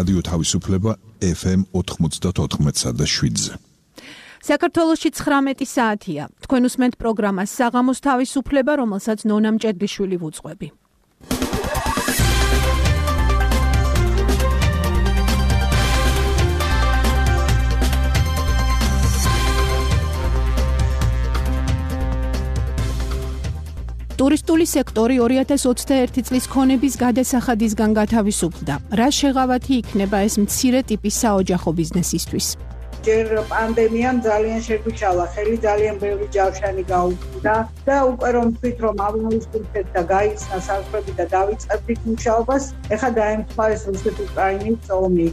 რადიო თავისუფლება FM 94.7-ზე. საქართველოში 19 საათია. თქვენ უსმენთ პროგრამას საღამოს თავისუფლება, რომელსაც ნონა მჭედლიშვილი ვუძღვები. ტურისტული სექტორი 2021 წლის ქონების გადასახადისგან გათავისუფლდა. რა შეღავათი იქნება ეს მცირე ტიპის საოჯახო ბიზნესისთვის? ჯერ პანდემიამ ძალიან შეგვიშალა, ხელი ძალიან ბევრი ჯავშანი გაუქმდა და უკვე რომ ვთქვით, რომ ავნავისუფლეთ და გაიცნა საზღვრები და დავიწყებდით მუშაობას, ეხლა დაემთხვა ეს რუსეთ-უკრაინის ომი.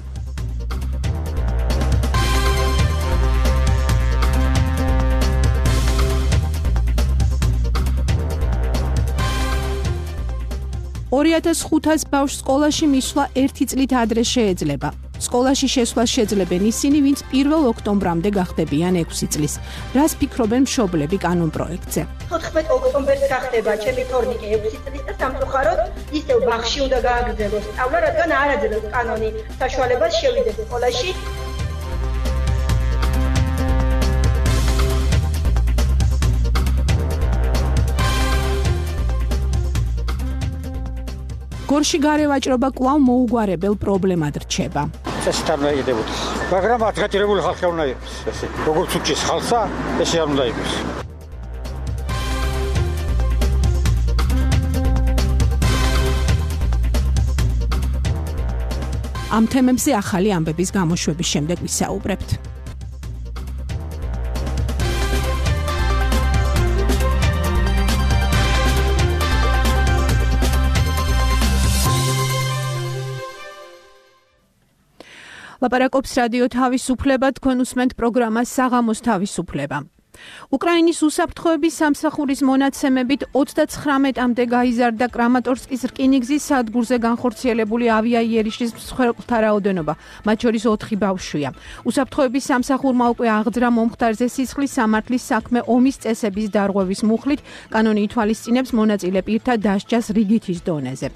$2,500 ბავშვს სკოლაში მისვლა 1 წლით ადრე შეეძლება. სკოლაში შესვლას შეძლებენ ისინი, ვინც 1 ოქტომბრამდე გახდებიან 6 წლის. რას ფიქრობენ მშობლები კანონპროექტზე? 14 ოქტომბერს გახდება ჩემი თორნიკე 6 წლის და სამწუხაროდ ისევ ბაღში უნდა გააგრძელოს სწავლა, რადგან არ აძლევს კანონი საშუალებას შევიდეს სკოლაში. გორში გარევაჭრობა კვლავ მოუგვარებელ პრობლემად რჩება. წესით არ უნდა იყიდებოდეს, მაგრამ ადგილობრივი ხალხი უნდა იყოს ესე. როგორც უჩის ხალხსა, ესე არ უნდა იყოს. ამ თემებზე ახალი ამბების გამოშვების შემდეგ ვისაუბრებთ. ლაპარაკობს რადიო თავისუფლება, თქვენ უსმენთ პროგრამას საღამოს თავისუფლება. უკრაინის უსაფრთხოების სამსახურის მონაცემებით 39-მდე გაიზარდა კრამატორსკის რკინიგზის სადგურზე განხორციელებული ავიაიერიშის მსხვერპლთა რაოდენობა, მათ შორის 4 ბავშვია. უსაფრთხოების სამსახურმა უკვე აღძრა მომხდარზე სისხლის სამართლის საქმე ომის წესების დარღვევის მუხლით, კანონი ითვალისწინებს მონაწილე პირთა დასჯას რიგითის დონეზე.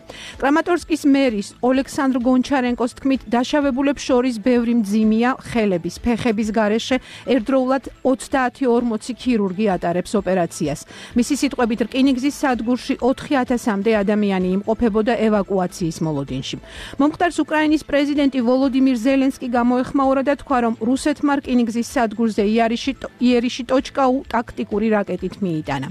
კრამატორსკის მერის ოლექსანდრ გონჩარენკოს თქმით, დაშავებულებს შორის ბევრი მძიმეა, ხელების, ფეხების გარეშე ერთდროულად 30-40 ქირურგი ატარებს ოპერაციას. მისი სიტყვებით, რკინიგზის სადგურში 4000-მდე ადამიანი იმყოფებოდა ევაკუაციის მოლოდინში. მომხდარს უკრაინის პრეზიდენტი ვოლოდიმირ ზელენსკი გამოეხმაურა და თქვა, რომ რუსეთმა რკინიგზის სადგურზე იერიში ტოჩკაუ ტაქტიკური რაკეტით მიიტანა.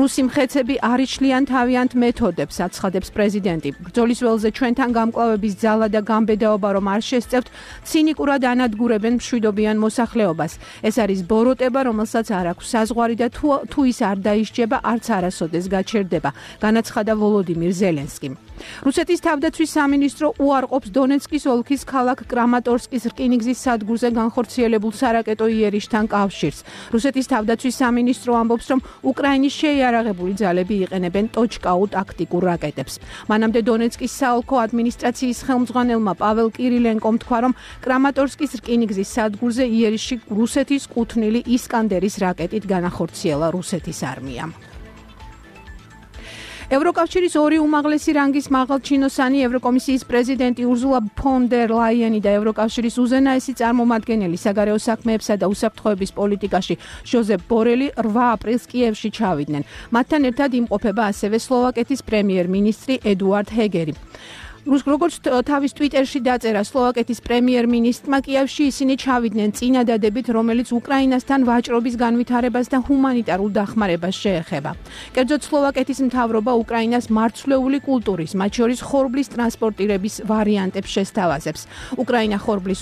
რუსი მხეცები არ იშლიან თავიანთ მეთოდებს, აცხადებს პრეზიდენტი. ბრძოლის ველზე ჩვენთან გამკლავების ძალა და გამბედაობა რომ არ შესწევთ, ცინიკურად ანადგურებენ მშვიდობიან მოსახლეობას. ეს არის ბოროტება, რომელსაც არ აქვს საზღვარი და თუ ის არ დაისჯება, არც არასოდეს გაჩერდება, განაცხადა ვოლოდიმირ ზელენსკიმ. რუსეთის თავდაცვის სამინისტრო უარყოფს დონეცკის ოლქის ქალაქ კრამატორსკის რკინიგზის სადგურზე განხორციელებულ სარაკეტო იერიშთან კავშირს. რუსეთის თავდაცვის სამინისტრო ამბობს, რომ უკრაინის შეიარაღებული ძალები იყენებენ ტოჩკაუ ტაქტიკურ რაკეტებს. მანამდე დონეცკის საოლქო ადმინისტრაციის ხელმძღვანელმა პაվել კირილენკომ თქვა, რომ კრამატორსკის რკინიგზის სადგურზე იერიში რუსეთის კუთვნილი ისკანდერის რაკეტით განახორციელა რუსეთის არმიამ. ევროკავშირის 2 უმაღლესი რანგის მაღალჩინოსანი ევროკომისიის პრეზიდენტი ურზულა ფონ დერ ლაიენი და ევროკავშირის უზენაესი წარმომადგენელი საგარეო საქმეებსა და უსაფრთხოების პოლიტიკაში ჟოზეფ ბორელი 8 აპრილს კიევში ჩავიდნენ. მათთან ერთად იმყოფება ასევე სლოვაკეთის პრემიერ-მინისტრი ედუარდ ჰეგერი. როგორც თავის ტვიტერში დაწერა სლოვაკეთის პრემიერ-მინისტრმა, კიევში ისინი ჩავიდნენ წინადადებით, რომელიც უკრაინასთან ვაჭრობის განვითარებას და ჰუმანიტარულ დახმარებას შეეხება. კერძოდ სლოვაკეთის მთავრობა უკრაინას მარცვლეული კულტურის, მათ შორის ხორბლის ტრანსპორტირების ვარიანტებს შესთავაზებს. უკრაინა ხორბლის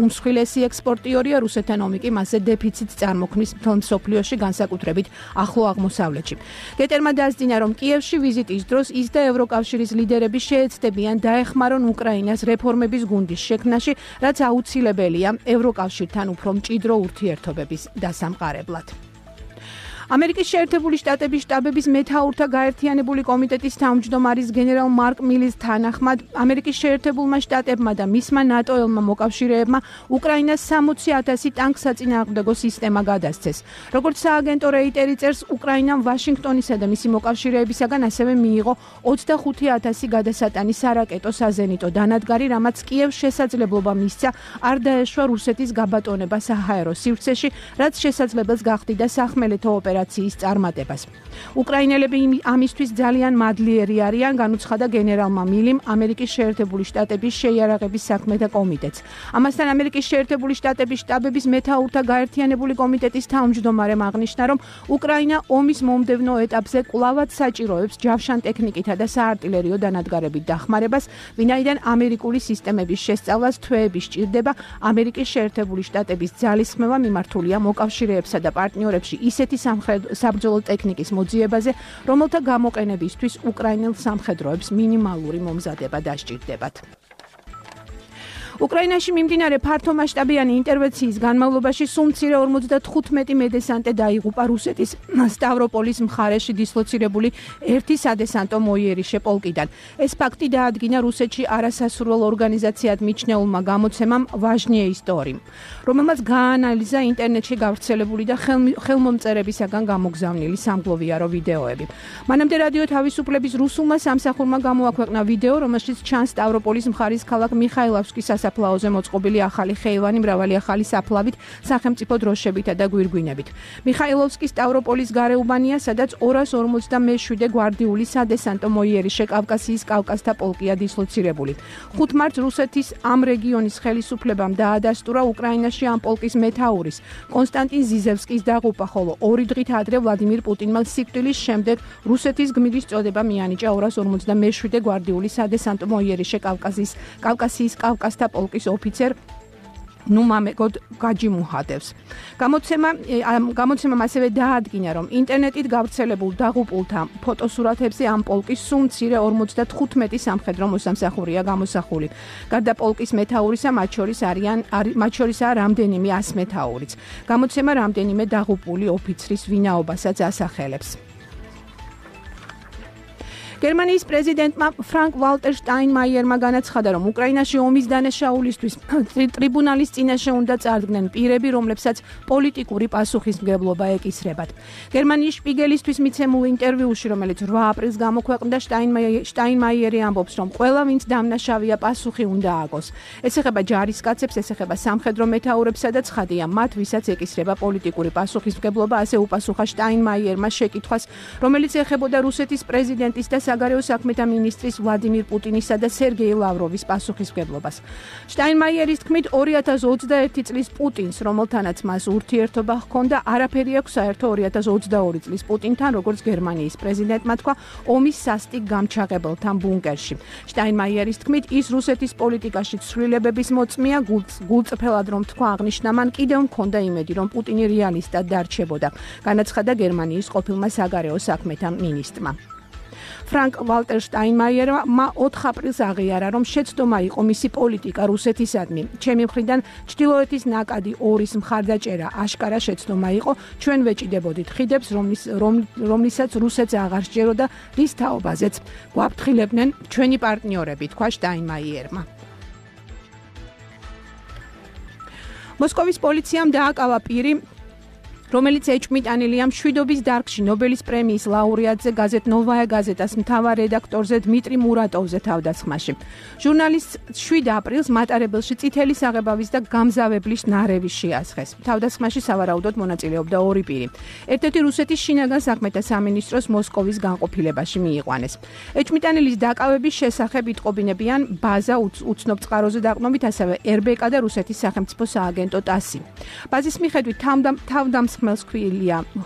უმსხვილესი ექსპორტიორია, რუსეთთან ომი კი მასზე დეფიციტს წარმოქმნის მთელ მსოფლიოში, განსაკუთრებით ახლო აღმოსავლეთში. გეტერმა დასძინა, რომ კიევში ვიზიტის დროს ის და ევროკავშირის ლიდერები შეეცდებიან დაეხმარონ უკრაინას რეფორმების გუნდის შექმნაში, რაც აუცილებელია ევროკავშირთან უფრო მჭიდრო ურთიერთობების დასამყარებლად. ამერიკის შეერთებული შტატების შტაბების მეთაურთა გაერთიანებული კომიტეტის თავმჯდომარის გენერალ მარკ მილის თანახმად ამერიკის შეერთებულმა შტატებმა და მისმა ნატოელმა მოკავშირეებმა უკრაინას 60,000 ტანკსაწინააღმდეგო სისტემა გადასცეს. როგორც სააგენტო რეიტერი წერს, უკრაინამ ვაშინგტონისა და მისი მოკავშირეებისაგან ასევე მიიღო 25,000 გადასატანი სარაკეტო საზენიტო დანადგარი, რამაც კიევს შესაძლებლობა მისცა არ დაეშვა რუსეთის გაბატონება საჰაერო სივრცეში, რაც შესაძლებელს გახდიდა სახმელეთო ოპერაციის წარმატებას. უკრაინელები ამისთვის ძალიან მადლიერი არიან, განუცხადა გენერალმა მილიმ ამერიკის შეერთებული შტატების შეიარაღების საქმეთა კომიტეტს. ამასთან ამერიკის შეერთებული შტატების შტაბების მეთაურთა გაერთიანებული კომიტეტის თავმჯდომარემ აღნიშნა, რომ უკრაინა ომის მომდევნო ეტაპზე კვლავად საჭიროებს ჯავშან ტექნიკითა და საარტილერიო დანადგარებით დახმარებას, ვინაიდან ამერიკული სისტემების შესწავლას თვეები სჭირდება. ამერიკის შეერთებული შტატების ძალისხმევა მიმართულია მოკავშირეებსა და პარტნიორებში ისეთი საბრძოლო ტექნიკის მოძიებაზე, რომელთა გამოყენებისთვის უკრაინელ სამხედროებს მინიმალური მომზადება დასჭირდებათ. უკრაინაში მიმდინარე ფართომასშტაბიანი ინტერვენციის განმავლობაში სულ მცირე 55 მედესანტე დაიღუპა რუსეთის სტავროპოლის მხარეში დისლოცირებული ერთი სადესანტო მოიერიშე პოლკიდან. ეს ფაქტი დაადგინა რუსეთში არასასურველ ორგანიზაციად მიჩნეულმა გამოცემამ ვაჟნიე ისტორიმ, რომელმაც გაანალიზა ინტერნეტში გავრცელებული და ხელმომწერებისაგან გამოგზავნილი სამგლოვიარო ვიდეოები. მანამდე რადიო თავისუფლების რუსულმა სამსახურმა გამოაქვეყნა ვიდეო, რომელშიც ჩანს სტავროპოლის მხარის ქალაქ მიხაილოვსკის საფლაოზე მოწყობილი ახალი ხეივანი მრავალი ახალი საფლავით, სახელმწიფო დროშებითა და გვირგვინებით. მიხაილოვსკი სტავროპოლის გარეუბანია, სადაც 257 გვარდიული სადესანტო მოიერიშე კავკასიის კავკასთა პოლკია დისლოცირებული. 5 მარტს რუსეთის ამ რეგიონის ხელისუფლებამ დაადასტურა უკრაინაში ამ პოლკის მეთაურის კონსტანტინ ზიზევსკის დაღუპვა, ხოლო 2 დღით ადრე ვლადიმირ პუტინმა სიკვდილის შემდეგ რუსეთის გმირის წოდება მიანიჭა 257 გვარდიული სადესანტო მოიერიშე კავკასიის კავკასთა პოლკის ოფიცერ ნუმამეგოდ გაჯიმუჰადევს. გამოცემამ ასევე დაადგინა, რომ ინტერნეტით გავრცელებულ დაღუპულთა ფოტოსურათებზე ამ პოლკის სულ მცირე 55 სამხედრო მოსამსახურეა გამოსახული. გარდა პოლკის მეთაურისა, მათ შორისაა რამდენიმე 100 მეთაურიც. გამოცემა რამდენიმე დაღუპული ოფიცრის ვინაობასაც ასახელებს. გერმანიის პრეზიდენტმა ფრანკ ვალტერ შტაინმაიერმა განაცხადა, რომ უკრაინაში ომის დანაშაულისთვის ტრიბუნალის წინაშე უნდა წარდგნენ პირები, რომლებსაც პოლიტიკური პასუხისმგებლობა ეკისრებათ. გერმანიის შპიგელისთვის მიცემულ ინტერვიუში, რომელიც 8 აპრილს გამოქვეყნდა, შტაინმაიერი ამბობს, რომ ყველა, ვინც დამნაშავეა, პასუხი უნდა ააგოს. ეს ეხება ჯარისკაცებს, ეს ეხება სამხედრო მეთაურებსა და ცხადია მათ, ვისაც ეკისრება პოლიტიკური პასუხისმგებლობა, ასე უპასუხა შტაინმაიერმა შეკითხვას, რომელიც ეხებოდა რუსეთის პრეზიდენტის და საგარეო საქმეთა მინისტრის ვლადიმირ პუტინისა და სერგეი ლავროვის პასუხისმგებლობას. შტაინმაიერის თქმით, 2021 წლის პუტინს, რომელთანაც მას ურთიერთობა ჰქონდა, არაფერი აქვს საერთო 2022 წლის პუტინთან, როგორც გერმანიის პრეზიდენტმა თქვა ომის სასტიკ გამჩაღებელთან ბუნკერში. შტაინმაიერის თქმით, ის რუსეთის პოლიტიკაში ცვლილებების მოწმეა, გულწრფელად რომ თქვა, აღნიშნა, მან კიდევ მქონდა იმედი, რომ პუტინი რეალისტად დარჩებოდა. განაცხადა გერმანიის ყოფილმა საგარეო საქმეთა მინისტრმა. ფრანკ ვალტერ შტაინმაიერმა 4 აპრილს აღიარა, რომ შეცდომა იყო მისი პოლიტიკა რუსეთისადმი. ჩემი მხრიდან ჩრდილოეთის ნაკადი 2-ის მხარდაჭერა აშკარა შეცდომა იყო. ჩვენ ვეჭიდებოდით ხიდებს, რომლისაც რუსეთს აღარ სჯეროდა, რის თაობაზეც გვაფრთხილებდნენ ჩვენი პარტნიორები, თქვა შტაინმაიერმა. მოსკოვის პოლიციამ დააკავა პირი, რომელიც ეჭვმიტანილია მშვიდობის დარგში ნობელის პრემიის ლაურეატზე გაზეთ ნოვაია გაზეტას მთავარ რედაქტორზე დმიტრი მურატოვზე თავდასხმაში. ჟურნალისტს 7 აპრილს მატარებელში წითელი საღებავის და გამზავებლის ნარევი შეასხეს. თავდასხმაში სავარაუდოდ მონაწილეობდა 2 პირი. ერთ-ერთი რუსეთის შინაგან საქმეთა სამინისტროს მოსკოვის განყოფილებაში მიიყვანეს. ეჭვმიტანილის დაკავების შესახებ იტყობინებიან ბაზა უცნობ წყაროზე დაყრდნობით, ასევე RBK და რუსეთის სახელმწიფო სააგენტო TASS. ბაზის მიხედვით ხმელს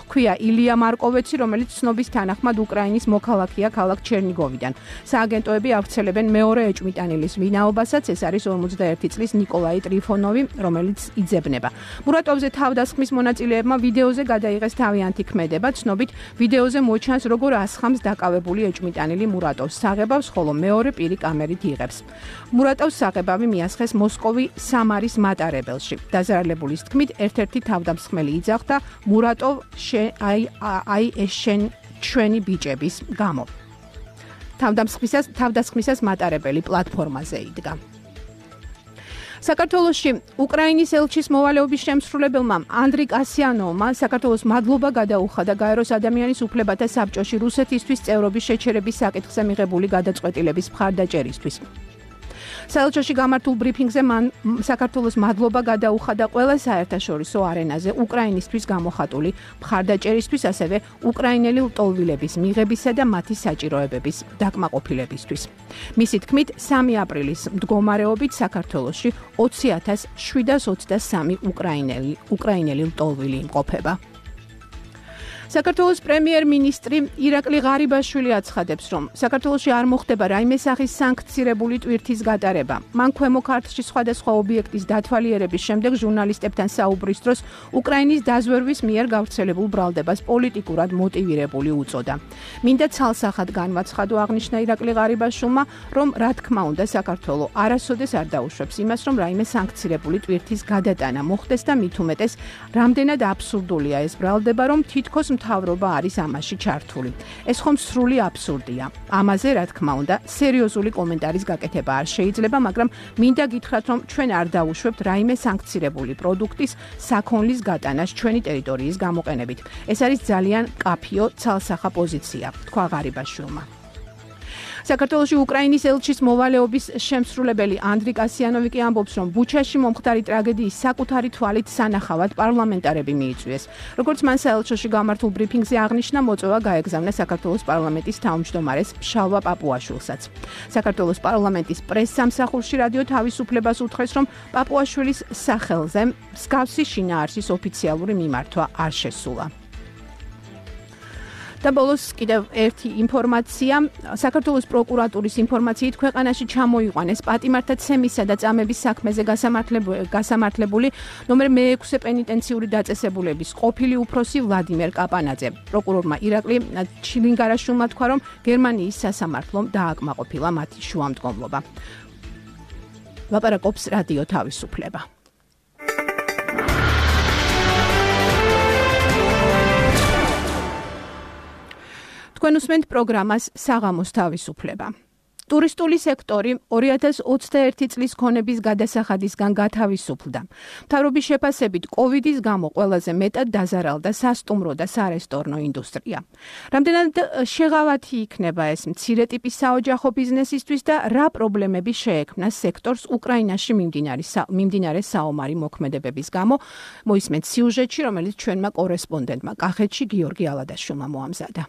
ქვია ილია მარკოვეცი, რომელიც ცნობის თანახმად უკრაინის მოქალაქეა ქალაქ ჩერნიგოვიდან. სააგენტოები ავრცელებენ მეორე ეჭვმიტანილის ვინაობასაც, ეს არის 51 წლის ნიკოლაი ტრიფონოვი, რომელიც იძებნება. მურატოვზე თავდასხმის მონაწილეებმა ვიდეოზე გადაიღეს თავიანთი ქმედება, ცნობით ვიდეოზე მოჩანს, როგორ ასხამს დაკავებული ეჭვმიტანილი მურატოვს საღებავს, ხოლო მეორე პირი კამერით იღებს. მურატოვს საღებავი მიასხეს მოსკოვი სამარის მატარებელში. დაზარალებულის თქმით, ერთ-ერთი თავდამსხმელი იძახდა, მურატოვ აი ეს ჩვენი ბიჭების გამო. თავდასხმისას მატარებელი პლატფორმაზე იდგა. საქართველოში უკრაინის ელჩის მოვალეობის შემსრულებელმა ანდრი კასიანოვმა საქართველოს მადლობა გადაუხადა გაეროს ადამიანის უფლებათა საბჭოში რუსეთისთვის წევრობის შეჩერების საკითხზე მიღებული გადაწყვეტილების მხარდაჭერისთვის. საელჩოში გამართულ ბრიფინგზე მან საქართველოს მადლობა გადაუხადა ყველა საერთაშორისო არენაზე უკრაინისთვის გამოხატული მხარდაჭერისთვის, ასევე უკრაინელი ლტოლვილების მიღებისა და მათი საჭიროებების დაკმაყოფილებისთვის. მისი თქმით, 3 აპრილის მდგომარეობით საქართველოში 20,723 უკრაინელი ლტოლვილი იმყოფება. საქართველოს პრემიერ-მინისტრი ირაკლი ღარიბაშვილი აცხადებს, რომ საქართველოში არ მოხდება რაიმე სახის სანქცირებული ტვირთის გატარება. მან ქვემო ქართლში სხვადასხვა ობიექტის დათვალიერების შემდეგ ჟურნალისტებთან საუბრის დროს უკრაინის დაზვერვის მიერ გავრცელებულ ბრალდებას პოლიტიკურად მოტივირებული უწოდა. მინდა ცალსახად განვაცხადო, აღნიშნა ირაკლი ღარიბაშვილმა, რომ რა თქმა უნდა საქართველო არასოდეს არ დაუშვებს იმას, რომ რაიმე სანქცირებული ტვირთის გადატანა მოხდეს და მით უმეტეს რამდენად აბსურდულია ეს ბრალდება, რომ თითქოს მთავრობა არის ამაში ჩართული. ეს ხომ სრული აბსურდია. ამაზე, რა თქმა უნდა, სერიოზული კომენტარის გაკეთება არ შეიძლება, მაგრამ მინდა გითხრათ, რომ ჩვენ არ დაუშვებთ რაიმე სანქცირებული პროდუქტის საქონლის გატანას ჩვენი ტერიტორიის გამოყენებით. ეს არის ძალიან კაფიო ცალსახა პოზიცია, თქვა ღარიბაშვილმა. საქართველოში უკრაინის ელჩის მოვალეობის შემსრულებელი ანდრი კასიანოვი კი ამბობს, რომ ბუჩაში მომხდარი ტრაგედიის საკუთარი თვალით სანახავად პარლამენტარები მიიწვიეს. როგორც მან საელჩოში გამართულ ბრიფინგზე აღნიშნა, მოწვევა გაეგზავნა საქართველოს პარლამენტის თავმჯდომარეს ფშალვა პაპუაშვილსაც. საქართველოს პარლამენტის პრესსამსახურში რადიო თავისუფლებას უთხრეს, რომ პაპუაშვილის სახელზე მსგავსი შინაარსის ოფიციალური მიმართვა არ შესულა. და ბოლოს კიდევ ერთი ინფორმაცია. საქართველოს პროკურატურის ინფორმაციით ქვეყანაში ჩამოიყვანეს პატიმართა ცემისა და წამების საქმეზე გასამართლებული ნომერ მე-6 პენიტენციური დაწესებულების ყოფილი უფროსი ვლადიმერ კაპანაძე. პროკურორმა ირაკლი ჩილინგარაშვილმა თქვა, რომ გერმანიის სასამართლომ დააკმაყოფილა მათი შუამდგომლობა. ლაპარაკობს რადიო თავისუფლება. თქვენ უსმენთ პროგრამას საღამოს თავისუფლება. ტურისტული სექტორი 2021 წლის ქონების გადასახადისგან გათავისუფლდა. მთავრობის შეფასებით, კოვიდის გამო ყველაზე მეტად დაზარალდა სასტუმრო და სარესტორნო ინდუსტრია. რამდენად შეღავათი იქნება ეს მცირე ტიპის საოჯახო ბიზნესისთვის და რა პრობლემები შეექმნა სექტორს უკრაინაში მიმდინარე საომარი მოქმედებების გამო, მოისმენთ სიუჟეტში, რომელიც ჩვენმა კორესპონდენტმა კახეთში გიორგი ალადაშვილმა მოამზადა.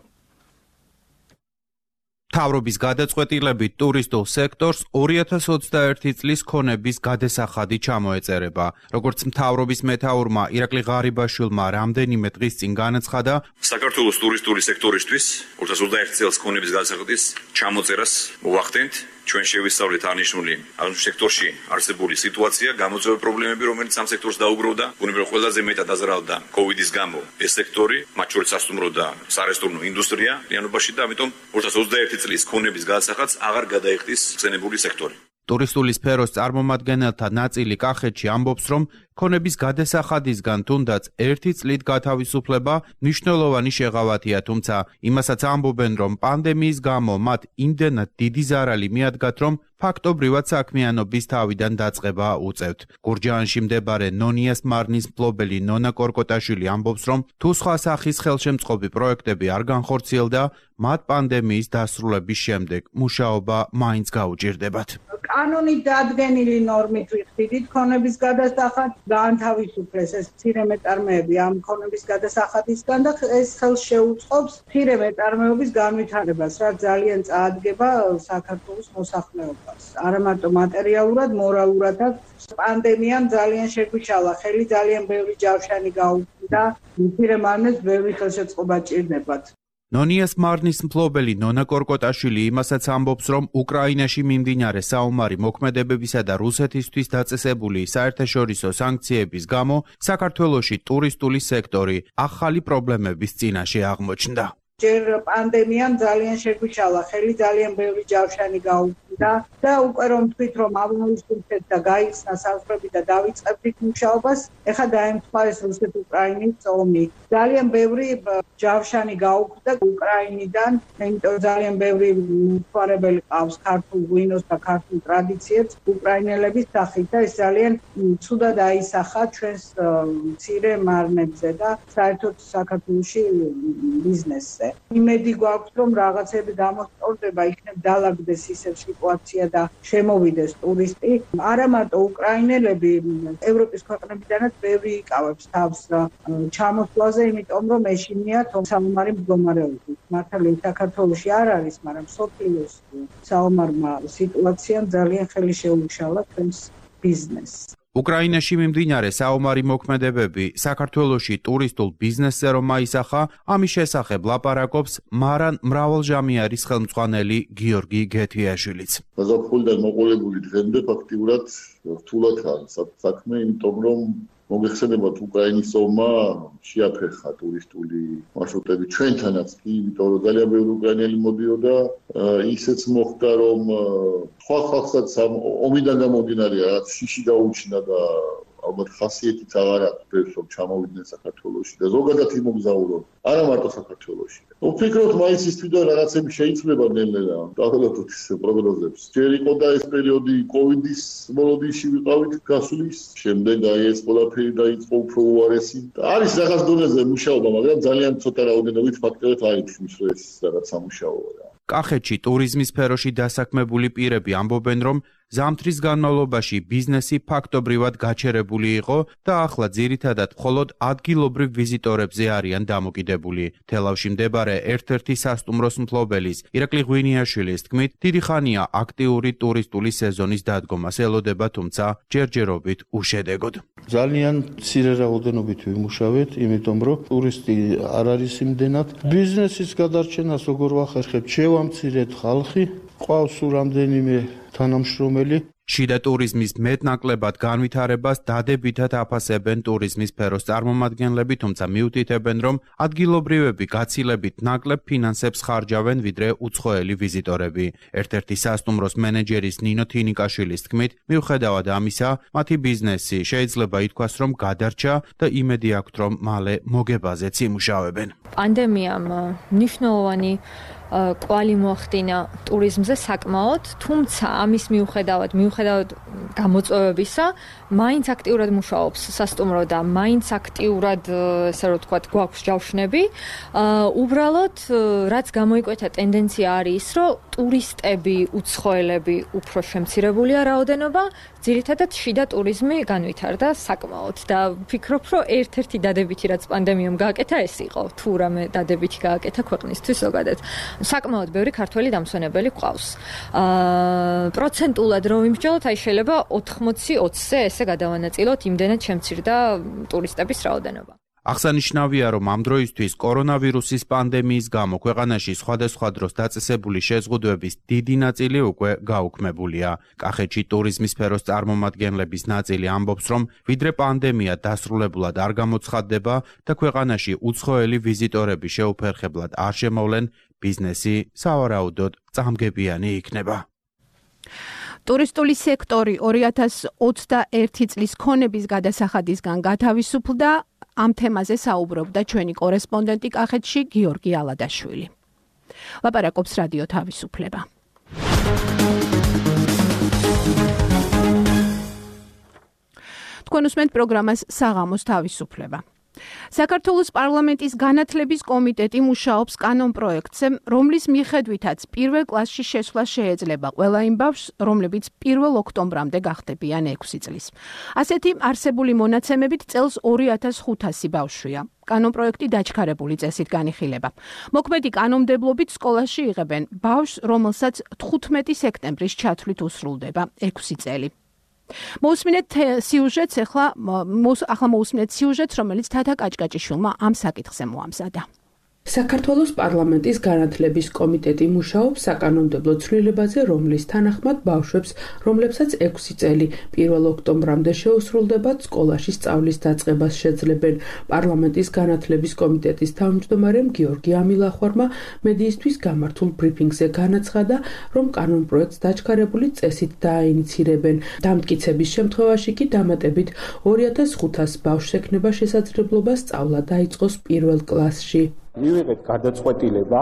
მთავრობის გადაწყვეტილებით ტურისტულ სექტორს 2021 წლის ქონების გადასახადი ჩამოეწერება. როგორც მთავრობის მეთაურმა ირაკლი ღარიბაშვილმა რამდენიმე დღის წინ განაცხადა, საქართველოს ტურისტული სექტორისთვის 2021 წელს ქონების გადასახადის ჩამოწერას მოვახდენთ. ჩვენ შევისწავლეთ აღნიშნული სექტორში არსებული სიტუაცია, გამოწვევა პრობლემები, რომელიც ამ სექტორს დაუგროვდა. ბუნებრივად ყველაზე მეტად დაზარალდა კოვიდის გამო ეს სექტორი, მათ შორის სასტუმრო და სარესტორნო ინდუსტრია ლიანობაში და ამიტომ 2021 წლის ქონების გადასახადს აღარ გადაიხდის ხსენებული სექტორი. ტურისტული სფეროს წარმომადგენელთა ნაწილი კახეთში ამბობს, რომ ქონების გადასახადისგან თუნდაც 1 წლით გათავისუფლება მნიშვნელოვანი შეღავათია, თუმცა იმასაც ამბობენ, რომ პანდემიის გამო მათ იმდენად დიდი ზარალი მიადგათ, რომ ფაქტობრივად საქმიანობის თავიდან დაწყება უწევთ. გურჯაანში მდებარე ნონიას მარნის მფლობელი ნონა კორკოტაშვილი ამბობს, რომ თუ სხვა სახის ხელშემწყობი პროექტები არ განხორციელდა, მათ პანდემიის დასრულების შემდეგ მუშაობა მაინც გაუჭირდებათ. კანონით დადგენილი ნორმით ვიხდით ქონების გადასახადს გაანთავისუფლეს ეს მცირე მეტარმეები ამ ქონების გადასახადისგან და ეს ხელს შეუწყობს მცირე მეტარმეობის განვითარებას, რაც ძალიან წაადგება საქართველოს მოსახლეობას. არა მარტო მატერიალურად, მორალურადაც. პანდემიამ ძალიან შეგვიშალა ხელი, ძალიან ბევრი ჯავშანი გაუქმდა, მცირე მარნებს ბევრი ხელშეწყობა ჭირდებათ. ნონიას მარნის მფლობელი ნონა კორკოტაშვილი იმასაც ამბობს, რომ უკრაინაში მიმდინარე საომარი მოქმედებებისა და რუსეთისთვის დაწესებული საერთაშორისო სანქციების გამო საქართველოში ტურისტული სექტორი ახალი პრობლემების წინაშე აღმოჩნდა. ჯერ პანდემიამ ძალიან შეგვიშალა, ხელი ძალიან ბევრი ჯავშანი გაუქმდა და უკვე რომ თქვით რომ აგვისტოსით და გაიხსნა საზღვრები და დავიწყებდით მუშაობას, ეხლა დაემთხვა ეს რუსეთ-უკრაინის ომი. ძალიან ბევრი ჯავშანი გაუქმდა უკრაინიდან, იმიტომ ძალიან ბევრი მთვარებელი ყავს ქართულ ღვინოს და ქართულ ტრადიციებს უკრაინელების სახით და ეს ძალიან ცუდად აისახა ჩვენს მცირე მარნებზე და საერთოდ საქართველოში ბიზნესზე. იმედი გვაქვს რომ რაღაცები გამოსწორდება, იქნებ დალაგდეს ისევ სიტუაცია და შემოვიდეს ტურისტი. არა მარტო უკრაინელები, ევროპის ქვეყნებიდანაც ბევრი იკავებს თავს ჩამოსვლაზე, იმიტომ რომ ეშინიათ საომარი მდგომარეობით. მართალია საქართველოში არ არის, მაგრამ სოფლიოს საომარმა სიტუაციამ ძალიან ხელი შეუშალა ჩვენს ბიზნესს. უკრაინაში მიმდინარე საომარი მოქმედებები საქართველოში ტურისტულ ბიზნესზე რომ აისახა, ამის შესახებ ლაპარაკობს მარან მრავალჟამიარის ხელმძღვანელი გიორგი გეთიაშვილიც. გაზაფხულიდან მოყოლებული დღემდე ფაქტიურად რთულად არის საქმე, იმიტომ რომ მოგეხსენებათ უკრაინის ომმა შეაფერხა ტურისტული მარშრუტები ჩვენთანაც კი, იმიტომ რომ ძალიან ბევრი უკრაინელი მოდიოდა, ისეც მოხდა რომ სხვა ხალხსაც ომიდან გამომდინარე რაღაც შიში გაუჩინა და ალბათ ხასიათიც აღარ აქვს ბევრს რომ ჩამოვიდნენ საქართველოში და ზოგადად იმოგზაურონ, არა მარტო საქართველოში. ვფიქრობ მაისის თვიდან რაღაცები შეიცვლება ნელ-ნელა, დაახლოებით ის პროგნოზებს. ჯერ იყო და ეს პერიოდი კოვიდის მოლოდინში ვიყავით გასulis, შემდეგ ეს ყველაფერი დაიწყო უფრო უარესი. არის რაღაც დონეზე მუშაობა, მაგრამ ძალიან ცოტა რაოდენობით ფაქტორად აიწვის რომ ეს რაღაც სამუშაოა. კახეთში ტურიზმის სფეროში დასაქმებული პირები ამბობენ, რომ ზამთრის განმავლობაში ბიზნესი ფაქტობრივად გაჩერებული იყო და ახლა ძირითადად მხოლოდ ადგილობრივ ვიზიტორებზე არიან დამოკიდებული. თელავში მდებარე ერთ-ერთი სასტუმროს მფლობელის ირაკლი ღვინიაშვილის თქმით, დიდი ხანია აქტიური ტურისტული სეზონის დადგომას ელოდება, თუმცა ჯერჯერობით უშედეგოდ. ძალიან მცირე რაოდენობით ვიმუშავეთ, იმიტომ რომ ტურისტი არ არის იმდენად. ბიზნესის გადარჩენას როგორ ვახერხებთ? შევამცირეთ ხალხი, ყავს რამდენიმე თანამშრომელი. შიდა ტურიზმის მეტნაკლებად განვითარებას დადებითად აფასებენ ტურიზმის სფეროს წარმომადგენლები, თუმცა მიუთითებენ, რომ ადგილობრივები გაცილებით ნაკლებ ფინანსებს ხარჯავენ, ვიდრე უცხოელი ვიზიტორები. ერთ-ერთი სასტუმროს მენეჯერის ნინო თინიკაშვილის თქმით, მიუხედავად ამისა, მათი ბიზნესი შეიძლება ითქვას, რომ გადარჩა და იმედი აქვთ, რომ მალე მოგებაზეც იმუშავებენ. პანდემიამ მნიშვნელოვანი კვალი მოახდინა ტურიზმზე საკმაოდ, თუმცა ამის მიუხედავად გამოწვევებისა, მაინც აქტიურად მუშაობს სასტუმრო და მაინც აქტიურად, ესე რომ ვთქვათ, გვაქვს ჯავშნები. უბრალოდ, რაც გამოიკვეთა ტენდენცია არის ის, რომ ტურისტები, უცხოელები უფრო შემცირებულია რაოდენობა, ძირითადად შიდა ტურიზმი განვითარდა საკმაოდ და ვფიქრობ, რომ ერთ-ერთი დადებითი, რაც პანდემიამ გააკეთა, ეს იყო, თუ რამე დადებითი გააკეთა ქვეყნისთვის ზოგადად. საკმაოდ ბევრი ქართველი დამსვენებელი გვყავს. პროცენტულად რო ვიმსჯელოთ, აი შეიძლება 80-20-ზე ესე გადავანაწილოთ, იმდენად შემცირდა ტურისტების რაოდენობა. აღსანიშნავია, რომ ამ დროისთვის კორონავირუსის პანდემიის გამო ქვეყანაში სხვადასხვა დროს დაწესებული შეზღუდვების დიდი ნაწილი უკვე გაუქმებულია. კახეთში ტურიზმის სფეროს წარმომადგენლების ნაწილი ამბობს, რომ ვიდრე პანდემია დასრულებულად არ გამოცხადდება და ქვეყანაში უცხოელი ვიზიტორები შეუფერხებლად არ შემოვლენ, ბიზნესი სავარაუდოდ წამგებიანი იქნება. ტურისტული სექტორი 2021 წლის ქონების გადასახადისგან გათავისუფლდა. ამ თემაზე საუბრობდა ჩვენი კორესპონდენტი კახეთში გიორგი ალადაშვილი. ლაპარაკობს რადიო თავისუფლება. თქვენ უსმენთ პროგრამას საღამოს თავისუფლება. საქართველოს პარლამენტის განათლების კომიტეტი მუშაობს კანონ პროექტზე, რომლის მიხედვითაც პირველ კლასში შესვლა შეეძლება ყველა იმ ბავშვს, რომლებიც 1 ოქტომბრამდე გახდებიან 6 წლის. ასეთი არსებული მონაცემებით წელს 2500 ბავშვია. კანონ პროექტი დაჩქარებული წესით განიხილება. მოქმედი კანონმდებლობით სკოლაში იღებენ ბავშვს, რომელსაც 15 სექტემბრის ჩათვლით უსრულდება 6 წელი. მოусმინეთ სიუჟეტს, ახლა მოусმინეთ სიუჟეტს, რომელიც თათა კაჭკაჭიშვილმა ამ საკითხზე მოამზადა. საქართველოს პარლამენტის განათლების კომიტეტი მუშაობს საკანონმდებლო ცვლილებაზე, რომლის თანახმად ბავშვებს, რომლებსაც 6 წელი 1 ოქტომბრამდე შეუსრულდებათ, სკოლაში სწავლის დაწყებას შეძლებენ. პარლამენტის განათლების კომიტეტის თავმჯდომარემ გიორგი ამილახვარმა მედიისთვის გამართულ ბრიფინგზე განაცხადა, რომ კანონპროექტს დაჩქარებული წესით დააინიცირებენ. დამტკიცების შემთხვევაში კი დამატებით 2500 ბავშვს ექნება შესაძლებლობა სწავლა დაიწყოს 1 კლასში. მივიღეთ გადაწყვეტილება,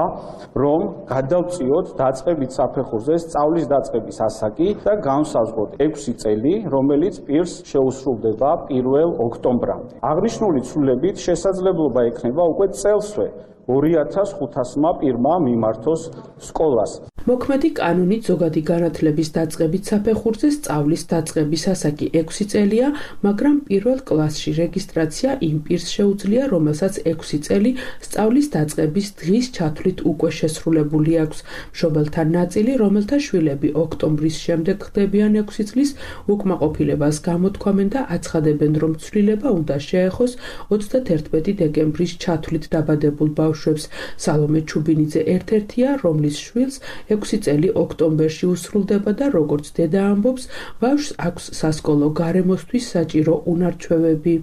რომ გადავწიოთ დაწყებით საფეხურზე სწავლის დაწყების ასაკი და განსაზღვროთ 6 წელი, რომელიც პირს შეუსრულდება 1 ოქტომბრამდე. აღნიშნული ცვლილებით შესაძლებლობა ექნება უკვე წელსვე 2500-მა პირმა მიმართოს სკოლას. მოქმედი კანონით ზოგადი განათლების დაწყებით საფეხურზე სწავლის დაწყების ასაკი 6 წელია, მაგრამ 1 კლასში რეგისტრაცია იმ პირს შეუძლია, რომელსაც 6 წელი სწავლის დაწყების დღის ჩათვლით უკვე შესრულებული აქვს. მშობელთა ნაწილი, რომელთა შვილები ოქტომბრის შემდეგ ხდებიან 6 წლის, უკმაყოფილებას გამოთქვამენ და აცხადებენ, რომ ცვლილება უნდა შეეხოს 31 დეკემბრის ჩათვლით დაბადებულ ბავშვებს. სალომე ჩუბინიძე ერთ-ერთია, რომლის შვილს 6 წელი ოქტომბერში უსრულდება და როგორც დედა ამბობს, ბავშვს აქვს სასკოლო გარემოსთვის საჭირო უნარჩვევები.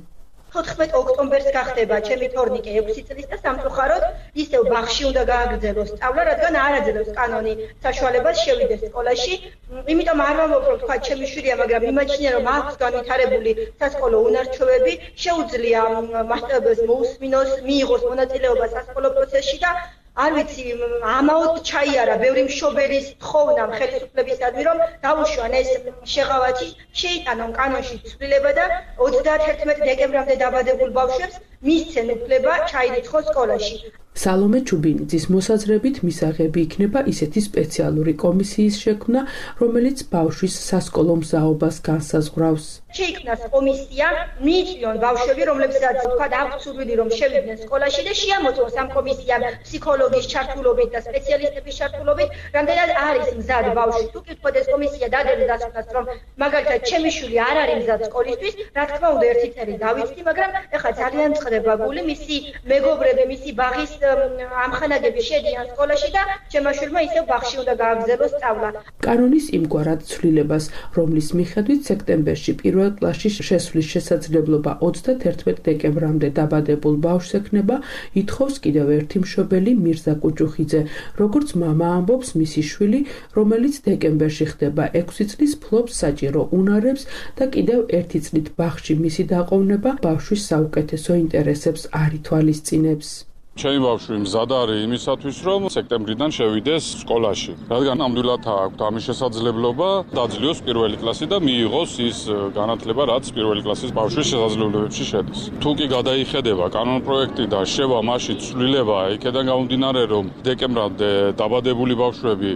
14 ოქტომბერს გახდება ჩემი თორნიკე 6 წლის და სამწუხაროდ ისევ ბაღში უნდა გააგრძელოს სწავლა, რადგან არ აძლევს კანონი საშუალებას შევიდეს სკოლაში. იმიტომ არ ვამბობ, რომ თქვა ჩემი შვილია, მაგრამ იმაჩნია, რომ აქვს განვითარებული სასკოლო უნარჩვევები, შეუძლია მასწავლებელს მოусმინოს, მიიღოს მონაწილეობა სასკოლო პროცესში და არ ვიცი, ამაოდ ჩაიარა ბევრი მშობელის ხოვნა ხელისუფლებისადმი, რომ დაუშვან ეს შეღავათი, შეიტანონ კანონში ცვლილება და 31 დეკემბრამდე დაბადებულ ბავშვებს მისცენ უფლება ჩაირიცხოს სკოლაში. სალომე ჩუბინიძის მოსაზრებით მისაღები იქნება ისეთი სპეციალური კომისიის შექმნა, რომელიც ბავშვის სასკოლო მზაობას განსაზღვრავს. შეიქმნას კომისია, მიიწვიონ ბავშვები, რომლებსაც თქვა აქვს სურვილი, რომ შევიდნენ სკოლაში და შეამოწმოს ამ კომისიამ ფსიქოლოგის ჩართულობით და სპეციალისტების ჩართულობით, რამდენად არის მზად ბავშვი. თუ კი თქვა ეს კომისია დადებას, რომ მაგალითად ჩემი შვილი არ არის მზად სკოლისთვის, რა თქმა უნდა ერთი წელი დავიწყდი, მაგრამ ეხლა ძალიან მწყდება გული, მისი მეგობრები, მისი ბაღის ამხანაგები შედიან სკოლაში და ჩემმა შვილმა ისევ ბაღში უნდა გააგრძელოს სწავლა. კანონის იმგვარად ცვლილებას, რომლის მიხედვით სექტემბერში 1 კლასში შესვლის შესაძლებლობა 31 დეკემბრამდე დაბადებულ ბავშვს ექნება, ითხოვს კიდევ ერთი მშობელი მირზა კუჭუხიძე. როგორც მამა ამბობს, მისი შვილი, რომელიც დეკემბერში ხდება 6 წლის, ფლობს საჭირო უნარებს და კიდევ ერთი წლით ბაღში მისი დაყოვნება ბავშვის საუკეთესო ინტერესებს არ ითვალისწინებს. ჩემი ბავშვი მზად არის იმისათვის, რომ სექტემბრიდან შევიდეს სკოლაში. რადგან ნამდვილად აქვს ამის შესაძლებლობა, დაძლიოს 1 კლასი და მიიღოს ის განათლება, რაც 1 კლასის ბავშვის შესაძლებლობებში შედის. თუ კი გადაიხედება კანონპროექტი და შევა მასში ცვლილება, იქედან გამომდინარე, რომ დეკემბრამდე დაბადებული ბავშვები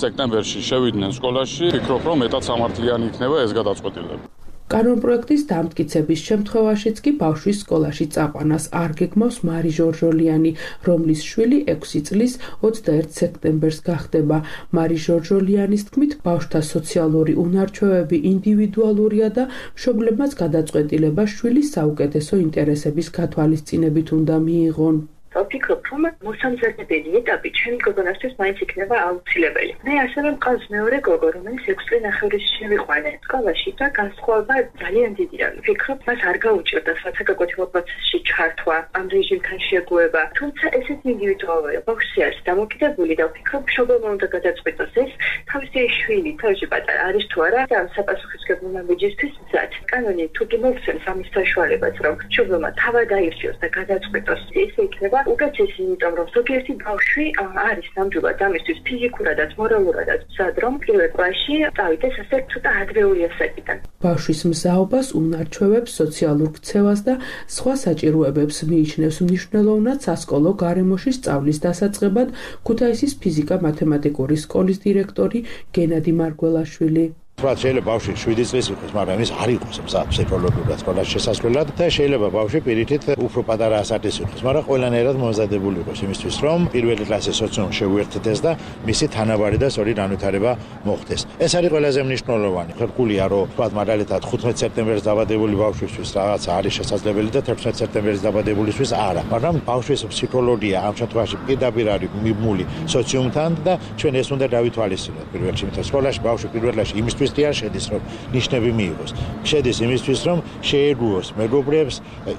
სექტემბერში შევიდნენ სკოლაში, ვფიქრობ, რომ მეტად სამართლიანი იქნება ეს გადაწყვეტილება. კანონპროექტის დამტკიცების შემთხვევაშიც კი ბავშვის სკოლაში წაყვანას არ გეგმავს მარი ჟორჟოლიანი, რომლის შვილი 6 წლის 21 სექტემბერს გახდება. მარი ჟორჟოლიანის თქმით, ბავშვთა სოციალური უნარჩვევები ინდივიდუალურია და მშობლებმაც გადაწყვეტილება შვილის საუკეთესო ინტერესების გათვალისწინებით უნდა მიიღონ. ვფიქრობ, რომ მოსამზადებელი ეტაპი ჩემი გოგონასთვის მაინც იქნება აუცილებელი. მე ასევე მყავს მეორე გოგო, რომელიც 6 წელი ნახევრის შევიყვანე სკოლაში და განსხვავება ძალიან დიდია. ვფიქრობ, მას არ გაუჭირდა საცალო პროცესში ჩართვა, ამ რეჟიმთან შეგუება. თუმცა ესეთი ინდივიდუალურია, ბავშვი არის დამოკიდებული და ვფიქრობ, მშობელმა უნდა გადაწყვეტოს ეს თავისი შვილი, თავში პატარა არის თუ არა და ამ საპასუხისმგებლო ნაბიჯისთვის მზად. კანონი თუ კი მოგცემს ამის საშუალებას, რომ მშობელმა თავად აირჩიოს და გადაწყვეტოს, ესე იქნება უკეთესი, იმიტომ რომ ზოგიერთი ბავშვი არის ნამდვილად ამისთვის ფიზიკურადაც, მორალურადაც მზად, რომ 1 კლასში წავიდეს ასე ცოტა ადრეული ასაკიდან. ბავშვის მზაობას, უნარჩვევებს, სოციალურ ქცევას და სხვა საჭიროებებს მიიჩნევს მნიშვნელოვნად სასკოლო გარემოში სწავლის დასაწყებად ქუთაისის ფიზიკა-მათემატიკური სკოლის დირექტორი გენადი მარგველაშვილი. თქვა შეიძლება ბავშვი 7 წლის იყოს, მაგრამ ის არ იყოს ფსიქოლოგიურად სკოლაში შესასვლელად და შეიძლება ბავშვი პირიქით უფრო პატარა ასაკის იყოს, მაგრამ ყველანაირად მომზადებული იყოს იმისთვის, რომ პირველი კლასის სოციუმში შეუერთდეს და მისი თანაბარი და სწორი განვითარება მოხდეს. ეს არის ყველაზე მნიშვნელოვანი. ხერხულია, რომ თქვა მაგალითად 15 სექტემბერს დაბადებული ბავშვისთვის რაღაცა არის შესაძლებელი და 11 სექტემბერს დაბადებულისთვის არა, მაგრამ ბავშვის ფსიქოლოგია ამ შემთხვევაში პირდაპირ არის მიმული სოციუმთან და ჩვენ ეს უნდა დავითვალისწინოთ პირველ რიგში, იმიტომ სკოლაში ბავშვი პირველ რიგში იმისთვის შედის, რომ ნიშნები მიიღოს. შედის იმისთვის, რომ შეეგუოს მეგობრებს,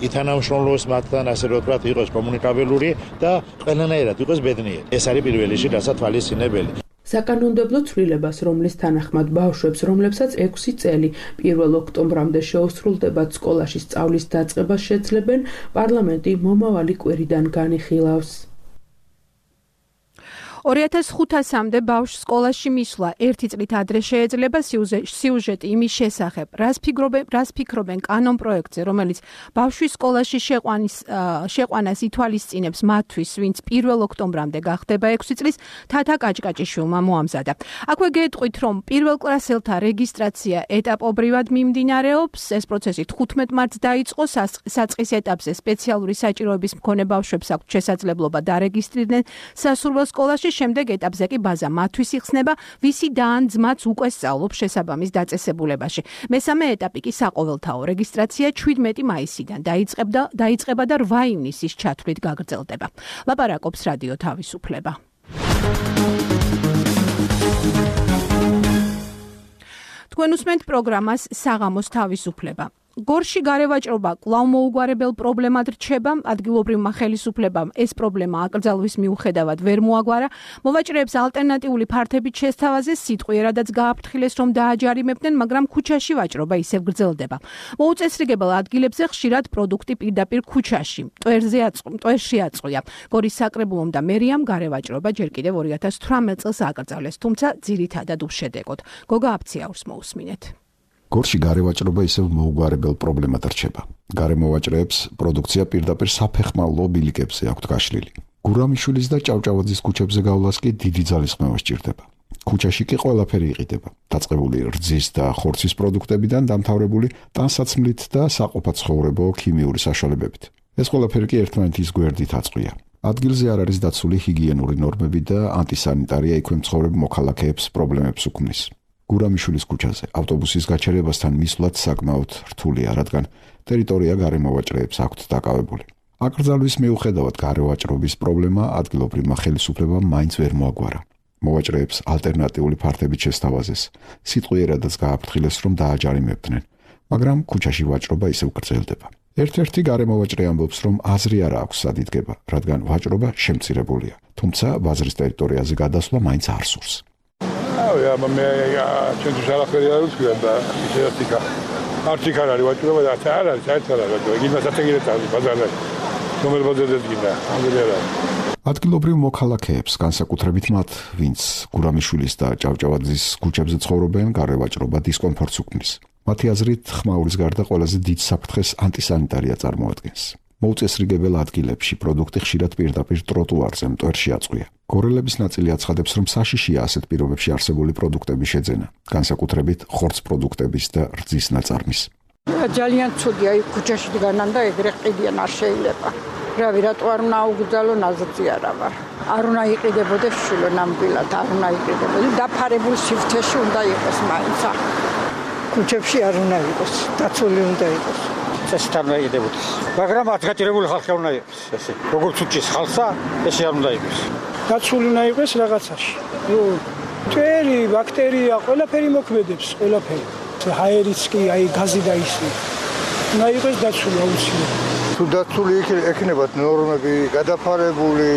ითანამშრომლოს მათთან, ასე რომ ვთქვათ, იყოს კომუნიკაბელური და ყველანაირად იყოს ბედნიერი. ეს არის პირველ რიგში დასათვალისწინებელი. საკანონმდებლო ცვლილებას, რომლის თანახმად ბავშვებს, რომლებსაც 6 წელი 1 ოქტომბრამდე შეუსრულდებათ სკოლაში სწავლის დაწყებას შეძლებენ, პარლამენტი მომავალი კვირიდან განიხილავს. 2500-მდე ბავშვს სკოლაში მისვლა 1 წლით ადრე შეეძლება სიუჟეტი იმის შესახებ, რას ფიქრობენ კანონპროექტზე, რომელიც ბავშვის სკოლაში შეყვანას ითვალისწინებს მათთვის, ვინც 1 ოქტომბრამდე გახდება 6 წლის, თათა კაჭკაჭიშვილმა მოამზადა. აქვე გეტყვით, რომ პირველკლასელთა რეგისტრაცია ეტაპობრივად მიმდინარეობს, ეს პროცესი 15 მარტს დაიწყო, საწყის ეტაპზე სპეციალური საჭიროების მქონე ბავშვებს აქვთ შესაძლებლობა დარეგისტრირდნენ სასურველ სკოლაში, შემდეგ ეტაპზე კი ბაზა მათთვის იხსნება, ვისი და ან ძმაც უკვე სწავლობს შესაბამის დაწესებულებაში. მესამე ეტაპი კი საყოველთაო რეგისტრაცია 17 მაისიდან დაიწყება და 8 ივნისის ჩათვლით გაგრძელდება. ლაპარაკობს რადიო თავისუფლება. თქვენ უსმენთ პროგრამას საღამოს თავისუფლება. გორში გარევაჭრობა კვლავ მოუგვარებელ პრობლემად რჩება, ადგილობრივმა ხელისუფლებამ ეს პრობლემა აკრძალვის მიუხედავად ვერ მოაგვარა, მოვაჭრეებს ალტერნატიული ფართებით შესთავაზეს, სიტყვიერადაც გააფრთხილეს, რომ დააჯარიმებდნენ, მაგრამ ქუჩაში ვაჭრობა ისევ გრძელდება. მოუწესრიგებელ ადგილებზე ხშირად პროდუქტი პირდაპირ ქუჩაში, მტვერში აწყვია. გორის საკრებულომ და მერიამ გარევაჭრობა ჯერ კიდევ 2018 წელს აკრძალეს, თუმცა ძირითადად უშედეგოდ. გოგა აფციაურს მოусმინეთ. გორში გარევაჭრობა ისევ მოუგვარებელ პრობლემად რჩება. გარემოვაჭრეებს პროდუქცია პირდაპირ საფეხმავლო ბილიკებზე აქვთ გაშლილი. გურამიშვილის და ჭავჭავაძის ქუჩებზე გავლას კი დიდი ძალისხმევა სჭირდება. ქუჩაში კი ყველაფერი იყიდება. დაწყებული რძის და ხორცის პროდუქტებიდან დამთავრებული ტანსაცმლით და საყოფაცხოვრებო ქიმიური საშუალებებით. ეს ყველაფერი კი ერთმანეთის გვერდით აწყვია. ადგილზე არ არის დაცული ჰიგიენური ნორმები და ანტისანიტარია იქვე მცხოვრებ მოქალაქეებს პრობლემებს უქმნის. გურამიშვილის ქუჩაზე ავტობუსის გაჩერებასთან მისვლაც საკმაოდ რთულია, რადგან ტერიტორია გარემოვაჭრეებს აქვთ დაკავებული. აკრძალვის მიუხედავად გარევაჭრობის პრობლემა ადგილობრივმა ხელისუფლებამ მაინც ვერ მოაგვარა. მოვაჭრეებს ალტერნატიული ფართებით შესთავაზეს, სიტყვიერადაც გააფრთხილეს, რომ დააჯარიმებდნენ, მაგრამ ქუჩაში ვაჭრობა ისევ გრძელდება. ერთ-ერთი გარემოვაჭრე ამბობს, რომ აზრი არ აქვს სად იდგება, რადგან ვაჭრობა შემცირებულია, თუმცა ბაზრის ტერიტორიაზე გადასვლა მაინც არ სურს. მე ჩვენთვის არაფერი არ ვთქვია და ისეთიკა არც არ არის ვაჭრობა და არ არის საერთოდ არ არის იმასაც ეგრეთ არის ბაზარზე რომელ ბაზარზე დგინდა ადგილობრივ მოქალაქეებს განსაკუთრებით მათ ვინც გურამიშვილის და ჭავჭავაძის ქუჩებზე ცხოვრობენ გარევაჭრობა დისკომფორტს უქმნის. მათი აზრით ხმაურის გარდა ყველაზე დიდ საფრთხეს ანტისანიტარია წარმოადგენს. მოუწესრიგებელ ადგილებში პროდუქტი ხშირად პირდაპირ ტროტუარზე მტვერში აწყვია. გორელების ნაწილი აცხადებს, რომ საშიშია ასეთ პირობებში არსებული პროდუქტების შეძენა, განსაკუთრებით ხორც პროდუქტების და რძის ნაწარმის. ძალიან ცუდია, იქ ქუჩაში დგანან და ეგრე ყიდიან არ შეიძლება. რავი, რატო არ უნდა აუგზავნო, ნაზრწი არა ვარ. არ უნდა იყიდებოდეს შვილო ნამდვილად, არ უნდა იყიდებოდეს. დაფარებულ სივრცეში უნდა იყოს მაინც. ქუჩებში არ უნდა იყოს, დაცული უნდა იყოს. წესით არ უნდა იყიდებოდეს. მაგრამ ადგილობრივი ხალხი არ უნდა იყოს, ესე. როგორც უჩის ხალხსა, ესე არ უნდა იყოს. დაცული უნდა იყოს რაღაცაში. მტვერი, ბაქტერია, ყველაფერი მოქმედებს, ყველაფერი. ჰაერიც კი, აი გაზი და ისე. უნდა იყოს დაცული აუცილებლად. თუ დაცული ექნებათ ნორმები, გადაფარებული,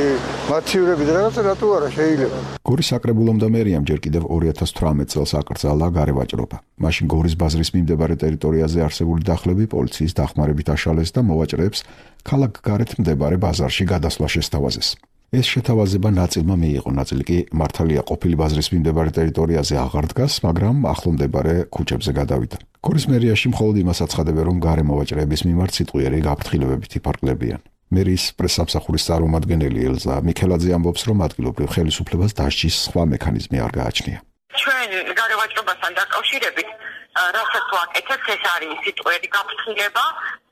მათივრები და რაღაცა რატო არა შეიძლება. გორის საკრებულომ და მერიამ ჯერ კიდევ 2018 წელს აკრძალა გარევაჭრობა. მაშინ გორის ბაზრის მიმდებარე ტერიტორიაზე არსებული დახლები პოლიციის დახმარებით აშალეს და მოვაჭრეებს ქალაქ გარეთ მდებარე ბაზარში გადასვლა შესთავაზეს. ეს შეთავაზება ნაწილმა მიიღო, ნაწილი კი მართალია ყოფილი ბაზრის მიმდებარე ტერიტორიაზე აღარ დგას, მაგრამ ახლო მდებარე ქუჩებზე გადავიდა. გორის მერიაში მხოლოდ იმას აცხადებენ, რომ გარემოვაჭრეების მიმართ სიტყვიერი გაფრთხილებებით იფარგლებიან. მერის პრესსამსახურის წარმომადგენელი ელზა მიქელაძე ამბობს, რომ ადგილობრივ ხელისუფლებას დასჯის სხვა მექანიზმი არ გააჩნია. ჩვენ გარევაჭრობასთან დაკავშირებით რასაც ვაკეთებთ, ეს არის სიტყვიერი გაფრთხილება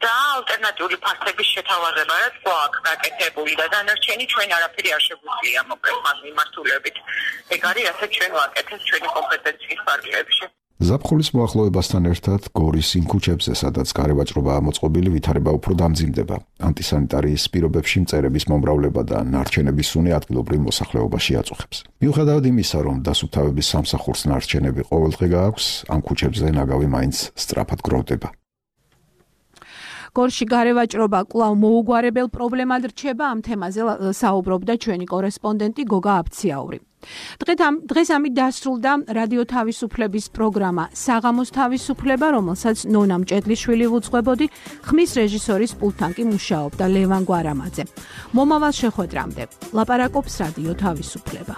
და ალტერნატიული ფასების შეთავაზება, რაც გვაქვს გაკეთებული და დანარჩენი ჩვენ არაფერი არ შეგვიძლია მოკლედ მას მიმართულებით. ეგ არის ასე ჩვენ ვაკეთებთ ჩვენი კომპეტენციის ფარგლებში. ზაფხულის მოახლოებასთან ერთად გორის იმ ქუჩებზე, სადაც გარევაჭრობაა მოწყობილი, ვითარება უფრო დამძიმდება. ანტისანიტარიის პირობებში მწერების მომრავლება და ნარჩენების სუნი ადგილობრივ მოსახლეობაში აწუხებს. მიუხედავად იმისა, რომ დასუფთავების სამსახურს ნარჩენები ყოველდღე გააქვს, ამ ქუჩებზე ნაგავი მაინც სწრაფად გროვდება. გორში გარევაჭრობა კვლავ მოუგვარებელ პრობლემად რჩება, ამ თემაზე საუბრობდა ჩვენი კორესპონდენტი გოგა აბციაური. დღეს ამით დასრულდა რადიო თავისუფლების პროგრამა საღამოს თავისუფლება, რომელსაც ნონა მჭედლიშვილი უძღვებოდი, ხმის რეჟისორის პულტთან კი მუშაობდა ლევან გვარამაძე. მომავალ შეხვედრამდე ლაპარაკობს რადიო თავისუფლება.